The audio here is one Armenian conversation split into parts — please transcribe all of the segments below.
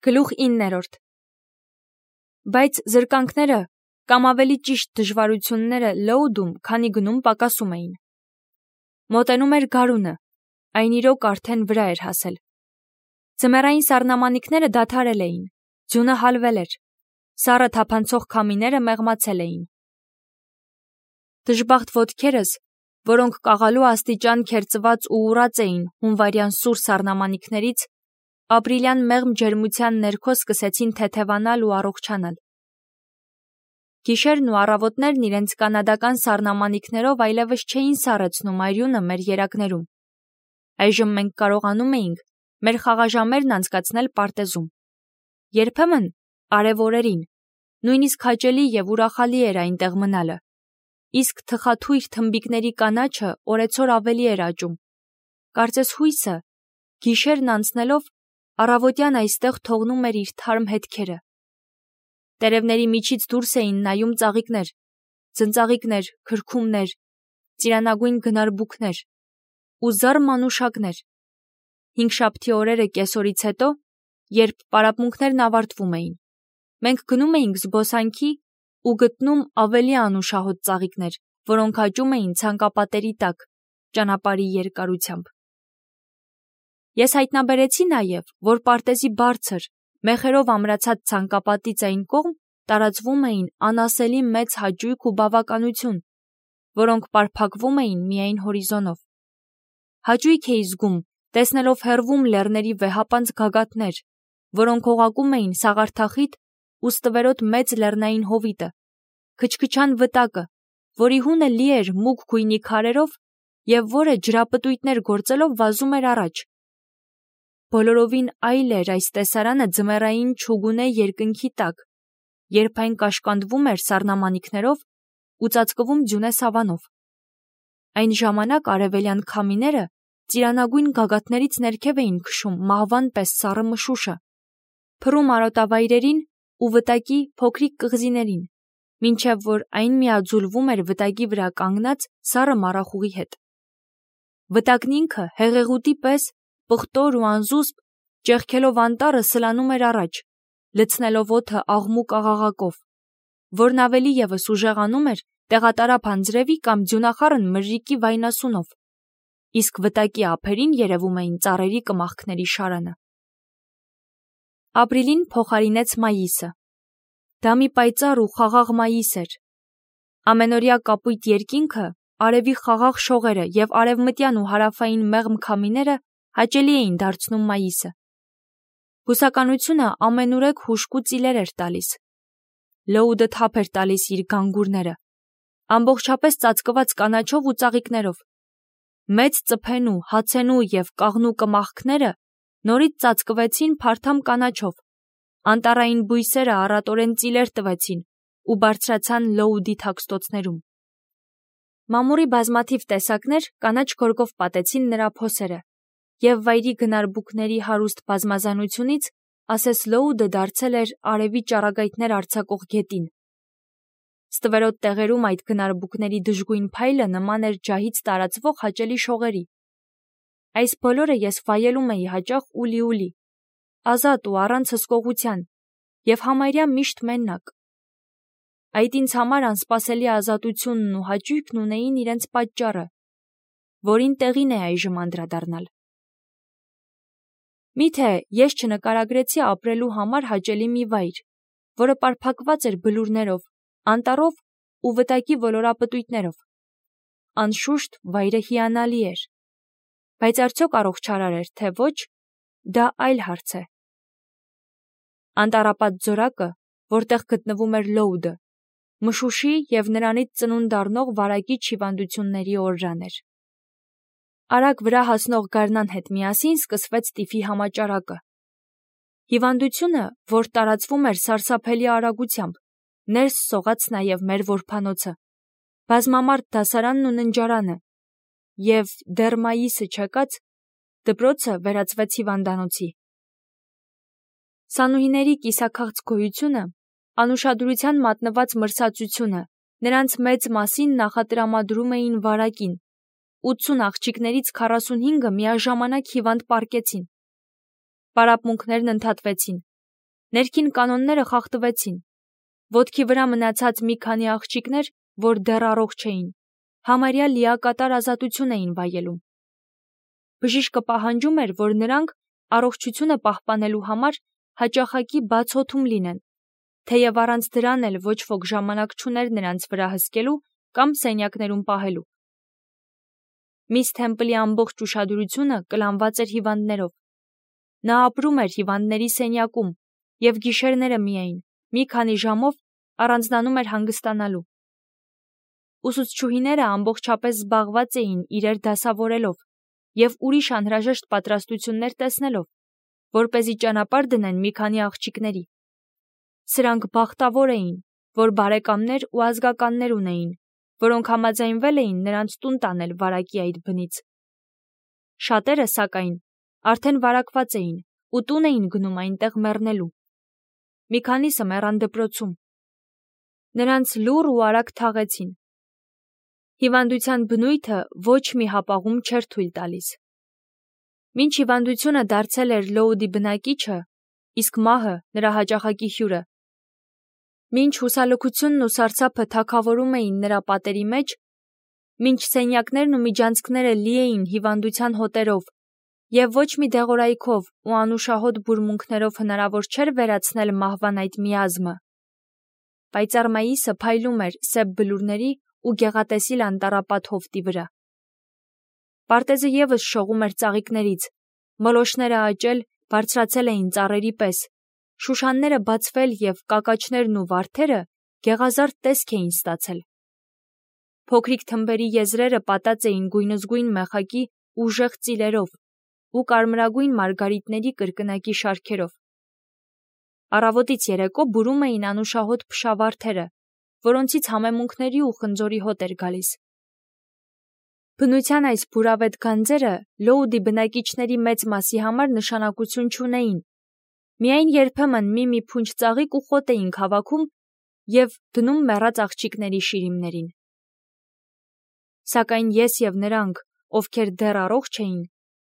Գլուխ 9. Բայց զրկանքները կամ ավելի ճիշտ դժվարությունները լոուդում, քանի գնում պակասում էին։ Մոտենում էր գարունը, այն իրոք արդեն վրա էր հասել։ Ձմեռային սառնամանիքները դադարել էին, ձյունը հալվել էր, սառը թափանցող քամիները մեղմացել էին։ Դժբախտ ոտքերս, որոնք կաղալու աստիճան քերծված ու ուռած էին հունվարյան սուր սառնամանիքներից, ապրիլյան մեղմ ջերմության ներքո սկսեցին թեթևանալ ու առողջանալ։ Գիշերն ու առավոտներն իրենց կանադական սառնամանիքներով այլևս չէին սառեցնում արյունը մեր երակներում։ Այժմ մենք կարողանում էինք մեր խաղաժամերն անցկացնել պարտեզում։ Երբեմն արև օրերին, նույնիսկ հաճելի և ուրախալի էր այնտեղ մնալը, իսկ թխաթույր թմբիկների կանաչը օրեցօր ավելի էր աճում։ Կարծես հույսը, գիշերն անցնելով, առավոտյան այստեղ թողնում էր իր թարմ հետքերը։ Տերևների միջից դուրս էին նայում ծաղիկներ, ձնծաղիկներ, քրքումներ, ծիրանագույն գնարբուքներ ու զառ մանուշակներ։ Հինգշաբթի օրերը կեսօրից հետո, երբ պարապմունքներն ավարտվում էին, մենք գնում էինք զբոսանքի ու գտնում ավելի անուշահոտ ծաղիկներ, որոնք աճում էին ցանկապատերի տակ, ճանապարհի երկարությամբ։ Ես հայտնաբերեցի նաև, որ պարտեզի բարձր, մեխերով ամրացած ցանկապատից այն կողմ տարածվում էին անասելի մեծ հաճույք ու բավականություն, որոնք պարփակվում էին միայն հորիզոնով։ Հաճույք էի զգում, տեսնելով հեռվում լեռների վեհապանծ գագաթներ, որոնք օղակում էին սաղարթախիտ ու ստվերոտ մեծ լեռնային հովիտը, քչքչան վտակը, որի հունը լի էր մուգ գույնի քարերով և որը ջրապտույտներ գործելով վազում էր առաջ։ Բոլորովին այլ էր այս տեսարանը ձմեռային չուգունե երկնքի տակ, երբ այն կաշկանդվում էր սառնամանիքներով ու ծածկվում ձյունե սավանով։ Այն ժամանակ արևելյան քամիները ծիրանագույն գագաթներից ներքև էին քշում մահվան պես սառը մշուշը, փռում արոտավայրերին ու վտակի փոքրիկ կղզիներին, մինչև որ այն միաձուլվում էր վտակի վրա կանգնած սառը մառախուղի հետ։ Վտակն ինքը հեղեղուտի պես պղտոր ու անզուսպ, ճեղքելով անտառը սլանում էր առաջ, լցնելով օդը աղմուկ աղաղակով, որն ավելի ևս ուժեղանում էր տեղատարափ անձրևի կամ ձյունախառն մրրիկի վայնասունով, իսկ վտակի ափերին երևում էին ծառերի կմախքների շարանը։ Ապրիլին փոխարինեց մայիսը։ Դա մի պայծառ ու խաղաղ մայիս էր։ Ամենօրյա կապույտ երկինքը, արևի խաղաղ շողերը և արևմտյան ու հարավային մեղմ քամիները հաճելի էին դարձնում մայիսը։ Բուսականությունը ամենուրեք հուժկու ծիլեր էր տալիս։ Լոուդը թափ էր տալիս իր գանգուրները, ամբողջապես ծածկված կանաչով ու ծաղիկներով։ Մեծ ծփենու, հացենու և կաղնու կմախքները նորից ծածկվեցին փարթամ կանաչով, անտառային բույսերը առատորեն ծիլեր տվեցին ու բարձրացան լոուդի թաքստոցներում։ Մամուրի բազմաթիվ տեսակներ կանաչ գորգով պատեցին նրա փոսերը, և վայրի գնարբուքների հարուստ բազմազանությունից ասես լոուդը դարձել էր արևի ճառագայթներ արձակող գետին։ Ստվերոտ տեղերում այդ գնարբուքների դժգույն փայլը նման էր ջահից տարածվող հաճելի շողերի։ Այս բոլորը ես վայելում էի հաճախ ուլի, ազատ ու առանց հսկողության, և համարյա միշտ մենակ։ Այդ ինձ համար անսպասելի ազատությունն ու հաճույքն ունեին իրենց պատճառը, որին տեղին է այժմ անդրադառնալ։ Միթե ես չնկարագրեցի ապրելու համար հաճելի մի վայր, որը պարփակված էր բլուրներով, անտառով ու վտակի ոլորապտույտներով։ Անշուշտ վայրը հիանալի էր, բայց արդյոք առողջարար էր, թե ոչ, դա այլ հարց է։ Անտառապատ ձորակը, որտեղ գտնվում էր լոուդը, մշուշի և նրանից ծնունդ առնող վարակիչ հիվանդությունների օրրան էր։ Արագ վրա հասնող գարնան հետ միասին սկսվեց տիֆի համաճարակը։ Հիվանդությունը, որ տարածվում էր սարսափելի արագությամբ, ներս սողաց նաև մեր որբանոցը, բազմամարդ դասարանն ու ննջարանը, և դեռ մայիսը չեկած, դպրոցը վերածվեց հիվանդանոցի։ Սանուհիների կիսաքաղց գոյությունը, անուշադրության մատնված մրսածությունը նրանց մեծ մասին նախատրամադրում էին վարակին։ 80 աղջիկներից 45-ը միաժամանակ հիվանդ պառկեցին։ Պարապմունքներն ընդհատվեցին, Ներքին կանոնները խախտվեցին։ Ոտքի վրա մնացած մի քանի աղջիկներ, որ դեռ առողջ էին, համարյա լիակատար ազատություն էին վայելում։ Բժիշկը պահանջում էր, որ նրանք առողջությունը պահպանելու համար հաճախակի բաց օդում լինեն, թեև առանց դրան էլ ոչ ոք ժամանակ չուներ նրանց վրա հսկելու կամ սենյակներում պահելու։ Միս Թեմպլի ամբողջ ուշադրությունը կլանված էր հիվանդներով։ Նա ապրում էր հիվանդների սենյակում և գիշերները միայն, մի քանի ժամով առանձնանում էր հանգստանալու։ Ուսուցչուհիները ամբողջապես զբաղված էին իրեր դասավորելով և ուրիշ անհրաժեշտ պատրաստություններ տեսնելով, որպեսզի ճանապարհ դնեն մի քանի աղջիկների։ Սրանք բախտավոր էին, որ բարեկամներ ու ազգականներ ունեին, որոնք համաձայնվել էին նրանց տուն տանել վարակի այդ բնից։ Շատերը, սակայն, արդեն վարակված էին ու տուն էին գնում այնտեղ մեռնելու։ Մի քանիսը մեռան դպրոցում։ Նրանց լուռ ու արագ թաղեցին։ Հիվանդության բնույթը ոչ մի հապաղում չէր թույլ տալիս։ Մինչ հիվանդությունը դարձել էր Լոուդի բնակիչը, իսկ մահը նրա հաճախակի հյուրը։ Մինչ հուսալքությունն ու սարսափը թագավորում էին նրա պատերի մեջ, մինչ սենյակներն ու միջանցքները լի էին հիվանդության հոտերով, և ոչ մի դեղորայքով ու անուշահոտ բուրմունքներով հնարավոր չէր վերացնել մահվան այդ միազմը, պայծառ մայիսը փայլում էր սև բլուրների ու գեղատեսիլ անտառապատ հովտի վրա։ Պարտեզը ևս շողում էր ծաղիկներից, մոլոշները աճել, բարձրացել էին ծառերի պես, շուշանները բացվել և կակաչներն ու վարդերը գեղազարդ տեսք էին ստացել։ Փոքրիկ թմբերի եզրերը պատած էին գույնզգույն մեխակի ուժեղ ծիլերով ու կարմրագույն մարգարիտների կրկնակի շարքերով։ Առավոտից երեկո բուրում էին անուշահոտ փշավարդերը, որոնցից համեմունքների ու խնձորի հոտ էր գալիս։ Բնության այս բուրավետ գանձերը Լոուդի բնակիչների մեծ մասի համար նշանակություն չունեին։ Միայն երբեմն մի փունջ ծաղիկ ու խոտ էինք հավաքում և դնում մեռած աղջիկների շիրիմներին։ Սակայն ես և նրանք, ովքեր դեռ առողջ էին,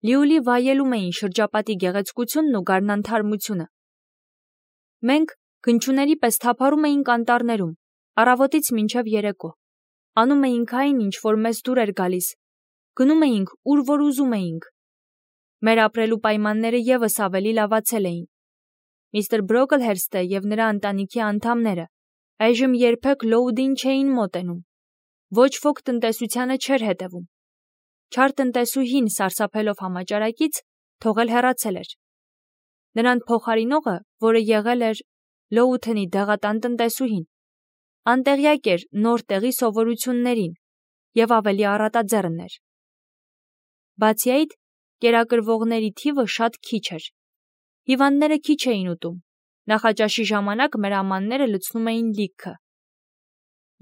լիովին վայելում էին շրջապատի գեղեցկությունն ու գարնան թարմությունը։ Մենք գնչուների պես թափառում էինք անտառներում, առավոտից մինչև երեկո, անում էինք այն, ինչ որ մեզ դուր էր գալիս, գնում էինք, ուր որ ուզում էինք։ Մեր ապրելու պայմանները ևս ավելի լավացել էին։ Միստր Բրոքլհերստը և նրա ընտանիքի անդամները այժմ երբեք Լոուդին չէին մոտենում։ Ոչ ոք տնտեսությանը չէր հետևում։ Չար տնտեսուհին, սարսափելով համաճարակից, թողել հեռացել էր։ Նրան փոխարինողը, որը եղել էր Լոութոնի դեղատան տնտեսուհին, անտեղյակ էր նոր տեղի սովորություններին և ավելի առատաձեռն էր։ Բացի այդ, կերակրվողների թիվը շատ քիչ էր։ Հիվանդները քիչ էին ուտում։ Նախաճաշի ժամանակ մեր ամանները լցնում էին լիքը։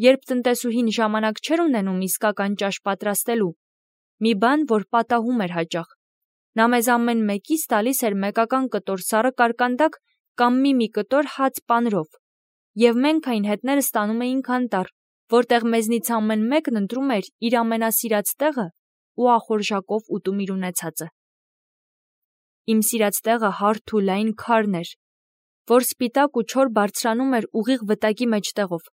Երբ տնտեսուհին ժամանակ չէր ունենում իսկական ճաշ պատրաստելու, մի բան, որ պատահում էր հաճախ, նա մեզ ամեն մեկիս տալիս էր մեկական կտոր սառը կարկանդակ կամ մի կտոր հաց պանրով, և մենք այն հետները ստանում էինք անտառ, որտեղ մեզնից ամեն մեկն ընտրում էր իր ամենասիրած տեղը ու ախորժակով ուտում իր ունեցածը։ Իմ սիրած տեղը հարթ ու լայն քարն էր, որ սպիտակ ու չոր բարձրանում էր ուղիղ վտակի մեջտեղով։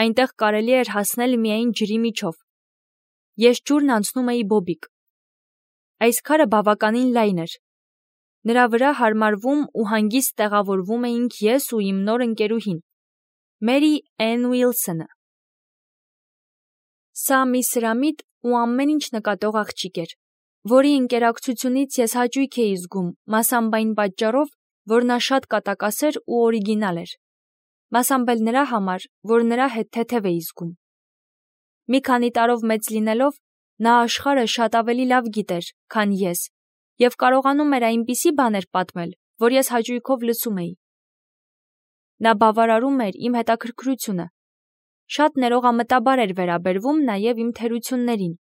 Այնտեղ կարելի էր հասնել միայն ջրի միջով։ Ես ջուրն անցնում էի բոբիկ։ Այս քարը բավականին լայն էր։ Նրա վրա հարմարվում ու հանգիստ տեղավորվում էինք ես ու իմ նոր ընկերուհին, Մերի Էն Ուիլսոնը։ Սա մի սրամիտ ու ամեն ինչ նկատող աղջիկ էր, որի ընկերակցությունից ես հաճույք էի զգում, մասամբ այն պատճառով, որ նա շատ կատակասեր ու օրիգինալ էր, մասամբ էլ նրա համար, որ նրա հետ թեթև էի զգում։ Մի քանի տարով մեծ լինելով, նա աշխարհը շատ ավելի լավ գիտեր, քան ես, և կարողանում էր այնպիսի բաներ պատմել, որ ես հաճույքով լսում էի։ Նա բավարարում էր իմ հետաքրքրությունը, շատ ներողամտաբար էր վերաբերվում նաև իմ թերություններին,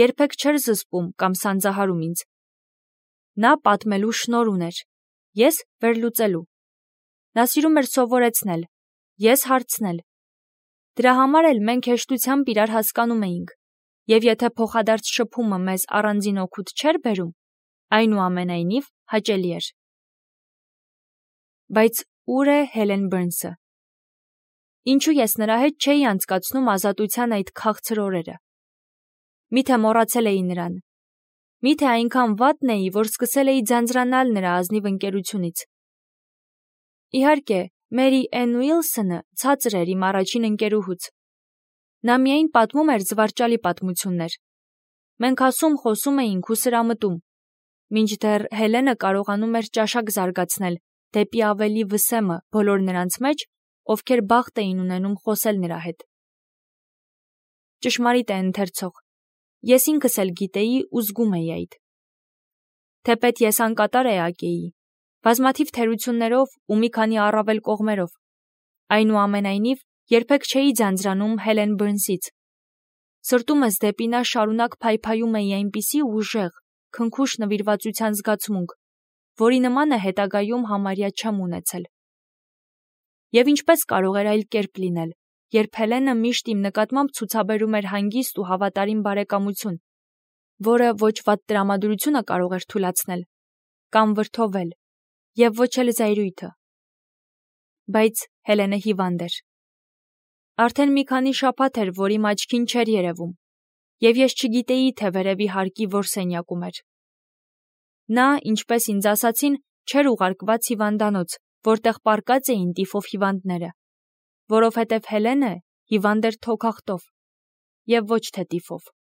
երբեք չէր զսպում կամ սանձահարում ինձ։ Նա պատմելու շնորհ ուներ, ես վերլուծելու։ Նա սիրում էր սովորեցնել, ես հարցնել։ Դրա համար էլ մենք հեշտությամբ իրար հասկանում էինք, և եթե փոխադարձ շփումը մեզ առանձին օգուտ չէր բերում, այնուամենայնիվ հաճելի էր։ Բայց ուր է Հելեն Բըրնսը։ Ինչու ես նրա հետ չէի անցկացնում ազատության այդ քաղցր օրերը։ Միթե մոռացել էի նրան։ Միթե այնքան վատն էի, որ սկսել էի ձանձրանալ նրա ազնիվ ընկերությունից։ Իհարկե, Մերի Էն Ուիլսոնը ցածր էր իմ առաջին ընկերուհուց։ Նա միայն պատմում էր զվարճալի պատմություններ։ Մենք ասում խոսում էինք ու սրամտում, մինչդեռ Հելենը կարողանում էր ճաշակ զարգացնել դեպի ավելի վսեմը բոլոր նրանց մեջ, ովքեր բախտ էին ունենում խոսել նրա հետ։ Ճշմարիտ է ընթերցող։ Ես ինքս էլ գիտեի ու զգում էի այդ։ Թեպետ ես անկատար էակ էի, բազմաթիվ թերություններով ու մի քանի առավել կողմերով, այնուամենայնիվ երբեք չէի ձանձրանում Հելեն Բըրնսից։ Սրտումս դեպի նա շարունակ փայփայում էի այնպիսի ուժեղ, քնքուշ նվիրվածության զգացմունք, որի նմանը հետագայում համարյա չեմ ունեցել։ Եվ ինչպես կարող էր այլ կերպ լինել, երբ Հելենը միշտ իմ նկատմամբ ցուցաբերում էր հանգիստ ու հավատարիմ բարեկամություն, որը ոչ վատ տրամադրությունը կարող էր թուլացնել կամ վրդովել, եւ ոչ էլ զայրույթը։ Բայց Հելենը հիվանդ էր։ Արդեն մի քանի շաբաթ էր, որ իմ աչքին չէր երևում, եւ ես չգիտեի, թե վերևի հարկի որ սենյակում էր։ Նա, ինչպես ինձ ասացին, չէր ուղարկված հիվանդանոց, որտեղ պառկած էին տիֆով հիվանդները, որովհետև Հելենը հիվանդ էր թոքախտով, եւ ոչ թե տիֆով։